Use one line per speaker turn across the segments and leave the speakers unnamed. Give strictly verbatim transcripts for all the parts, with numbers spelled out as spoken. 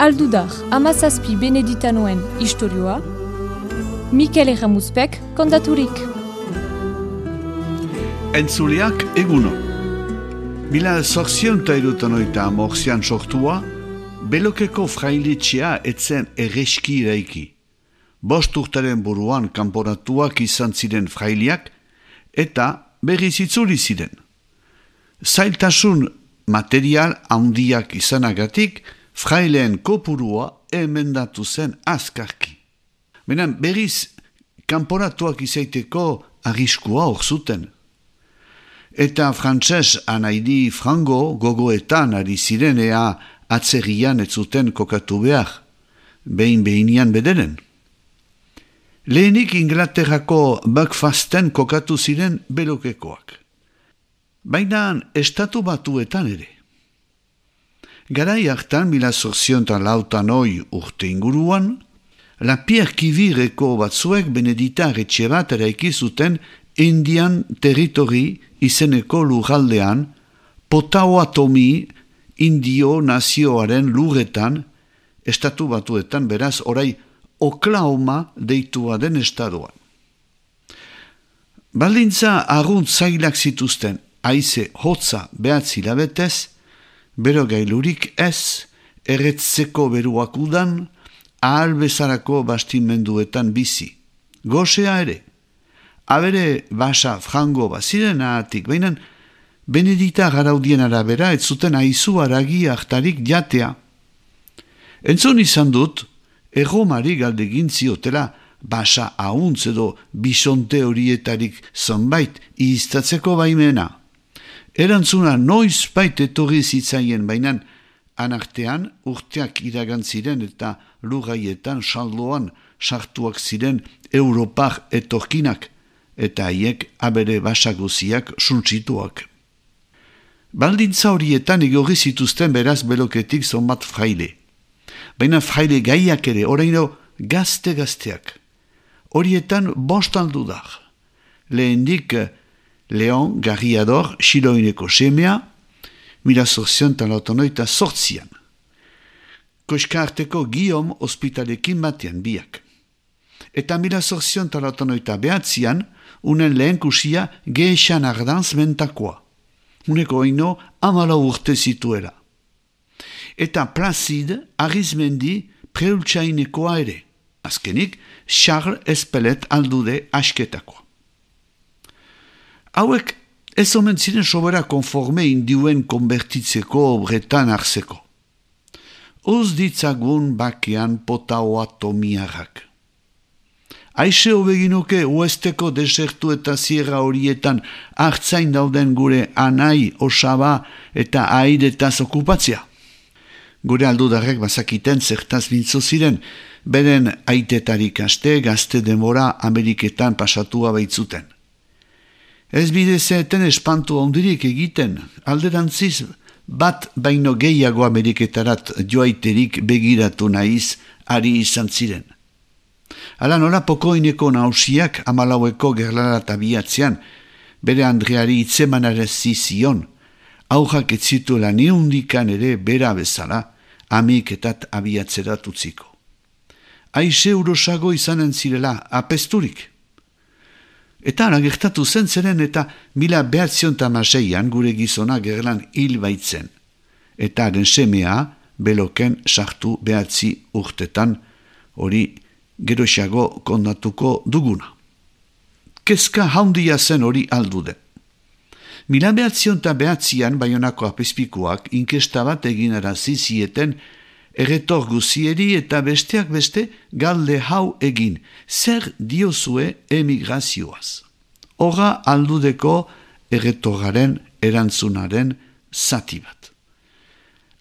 Aldudar, amazazpi beneditanoen istorioa, Mikel Erramuzpek kontaturik.
Entzuleak eguno. Mila zorzion eta irutanoita amorzian sortua, Belokeko frailetxea etzen erreski iraiki. Bost urtaren buruan kanporatuak izan ziren frailiak eta berriz itzuli ziren. Zailtasun material handiak izanagatik, fraileen kopurua emendatu zen azkarki. Benen berriz kanporatuak izaiteko arriskua hor zuten. Eta frantses anaidi frango gogoetan ari zirenea atzerrian ez zuten kokatu behar, behin behinian bederen. Lehenik Inglaterrako Buckfasten kokatu ziren Belokekoak. Baina estatu batuetan ere. Garai hartan, mila zorzion eta lautan oi urte inguruan, la Pierre Kivireko batzuek Benedita etxe bat eraiki zuten Indian Territory izeneko lurraldean, Potawatomi Indio nazioaren lurretan, estatu batuetan beraz orai Oklahoma deitua den estadoan. Baldintza arrunt zailak zituzten, haize hotza behatzi labetez, bero gailurik ez, erretzeko beruak udan, ahal bezarako bastimenduetan bizi. Gosea ere, abere basa frango baziren ahatik, baina Benedita garaudien arabera ez zuten aizu aragi hartarik jatea. Entzun izan dut, erromari galdegin ziotela basa ahuntz edo bisonte horietarik zonbait iztatzeko baimena. Erantzuna noiz bait etorri zitzaien bainan, anartean urteak iragan ziren eta lurraietan saldoan sartuak ziren Europar etorkinak eta haiek abere basaguziak suntsituak. Baldintza horietan igorri zituzten beraz Beloketik zonbat fraile. Baina fraile gaiak ere, oraino gazte-gazteak. Horietan bost aldudar. Lehendik Leon Garriador, Xiloineko semea, mila zorzion eta lautonoita sortzian. Koska arteko Guillaume ospitalekin batean biak. Eta mila zorzion eta lautonoita behatzian, unen lehen kusia Gehexan Ardanz mentakoa. Uneko oino amala urte zituela. Eta Placide Arizmendi preultsainekoa ere. Azkenik, Charles Espelet aldude asketakoa. Hauek ez omen ziren sobera konforme indiuen konbertitzeko obretan hartzeko. Uz ditzagun bakean Potawatomiarrak. Aixe hobeginoke uesteko desertu eta sierra horietan hartzain dauden gure anai, osaba eta airetaz okupatzea. Gure aldudarrek bazakiten zertaz bintzo ziren, beren aitetarik aste gazte demora Ameriketan pasatua baitzuten. Ez bidezeten espantu ondirik egiten, alderantziz bat baino gehiago Ameriketarat joaiterik begiratu nahiz ari izan ziren. Hala nola pokoineko nausiak amalaueko gerlarat abiatzean, bere Andreari itzemanarez zizion, aujak ez zituela niundikan ere bera bezala, Ameriketat abiatzerat utziko. Aixe urosago izanen zirela apesturik. Eta ara gertatu zen zeren eta mila behatzion tamaseian gure gizona gerlan hil baitzen. Eta haren semea Beloken sartu behatzi urtetan hori geroxago kondatuko duguna. Kezka haundia zen hori aldude. Mila behatzion eta behatzian Baionako apezpikuak inkesta bat egin arazizieten erretor guzieri eta besteak beste galde hau egin, zer diozue emigrazioaz. Horra aldudeko erretoraren erantzunaren zati bat.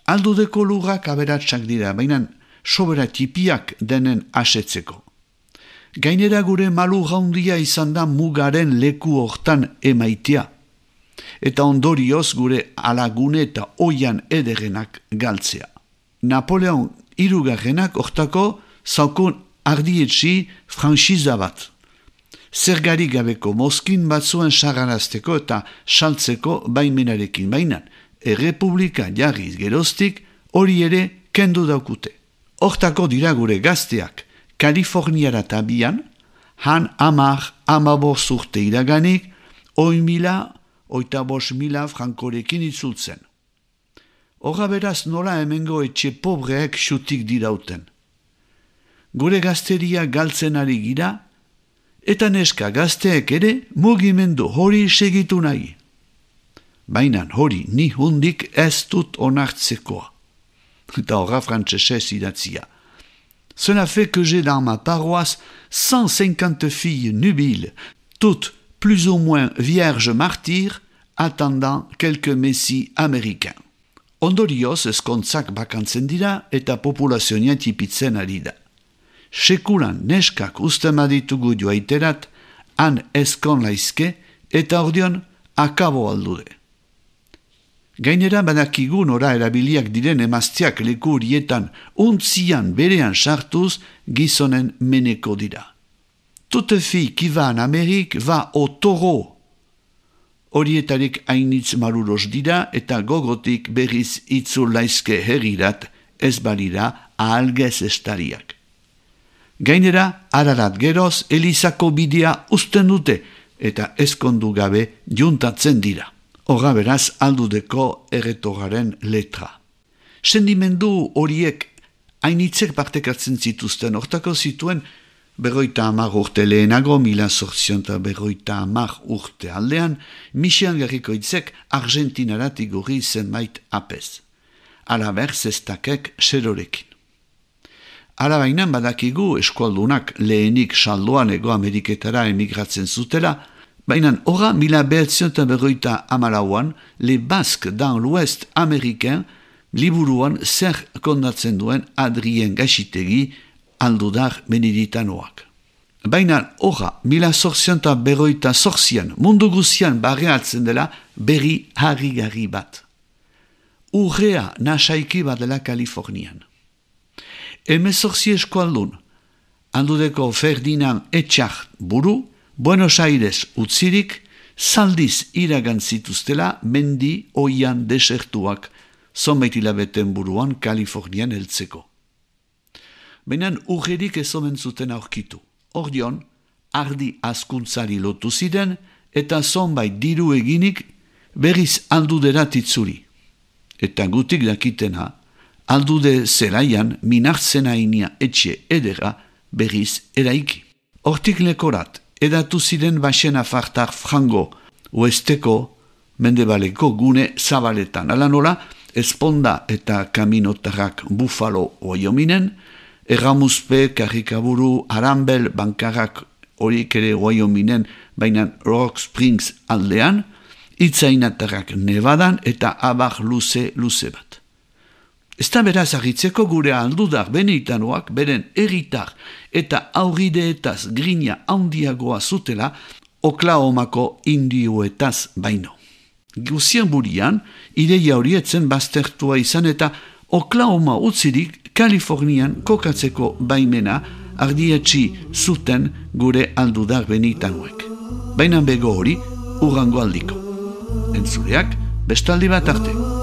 Aldudeko lurrak aberatsak dira, baina sobera tipiak denen asetzeko. Gainera gure malu gaundia izan da mugaren leku hortan emaitea, eta ondorioz gure alagune eta oian ederenak galtzea. Napoleon hirugarrenak hortako zaukun ardietxi franxiza bat. zergarik gabeko mozkin batzuen sagarazteko eta saltzeko baimenarekin bainan. Errepublika jarriz geroztik hori ere kendu daukute. Hortako dira gure gazteak Kaliforniara tabian, han amar amaboz urte iraganik, oi mila, oita bos mila frankorekin itzultzen. Horra beraz nola hemengo etxe pobreek xutik dirauten. Gure gazteria galtzen ari gira, eta neska gazteek ere mugimendu hori segitu nahi. Baina hori ni hundik ez dut onartzekoa. Eta horra frantsesez idatzia. Cela fait que j'ai dans ma paroisse cent cinquante filles nubiles, toutes plus ou moins vierges martyrs, attendant quelques messis américains. Ondorioz ezkontzak bakantzen dira eta populazioa tipitzen ari da. Sekulan neskak uzten ditugu joaiterat, han ezkon laizke eta ordion akabo aldude. Gainera badakigu nora erabiliak diren emazteak leku horietan untzian berean sartuz gizonen meneko dira. Toute fille qui va en Amérique va au taureau. Horietarik hainitz maruros dira eta gogotik berriz itzul laizke herrirat ez balira ahalgez estariak. Gainera, ararat geroz Elizako bidea uzten dute eta ezkondu gabe juntatzen dira. Horra beraz aldudeko erretogaren letra. Sendimendu horiek hainitzek partekatzen zituzten, hortako zituen berroita hamar urte lehenago, mila zortzion eta berroita hamar urte aldean, Michel Garrikoitzek Argentinarat igorri zenbait apez. Alaber zestakek serorekin. Alabainan badakigu eskualdunak lehenik saldoan Ego Ameriketara emigratzen zutela, baina horra mila behatzion eta berroita amalauan, Le Basque dans l'Ouest américain, liburuan zer kondatzen duen Adrien Gaxitegi, aldudar beneditanoak. Baina horra mila zortzion eta berroita zortzian mundu guzian barreatzen dela berri harrigarri bat. Urrea nasaiki bat dela Kalifornian. Hemezortzi eskualdun, aldudeko Ferdinand Etxart buru, Buenos Aires utzirik, zaldiz iragan zituztela mendi oian desertuak, zonbait hilabeten buruan Kalifornian heltzeko. Baina urrerik ez omen zuten aurkitu. Ordion, ardi askuntzari lotu ziren eta zonbait diru eginik berriz alduderat itzuri. Eta gutik dakitena, aldude zelaian minartzen hainia etxe edera berriz eraiki. Hortik lekorat, edatu ziren basen afartar frango, oesteko, mendebaleko gune zabaletan. Ala nola, Esponda eta kaminotarrak Buffalo Wyomingen, Erramuzpe, Karikaburu, Arambel, Bankarrak horik ere Wyomingen, baina Rock Springs aldean, Itzainatarrak Nevadan eta abar luze luze bat. Ez da beraz agitzeko gure aldudar benitanoak beren erritar eta aurrideetaz grina handiagoa zutela Oklahomako indioetaz baino. Guzien burian, ideia horietzen baztertua izan eta Oklahoma utzirik Kalifornian kokatzeko baimena ardietxi zuten gure aldudar benitanoek. Baina bego hori urrango aldiko. Entzuleak bestaldi bat arte.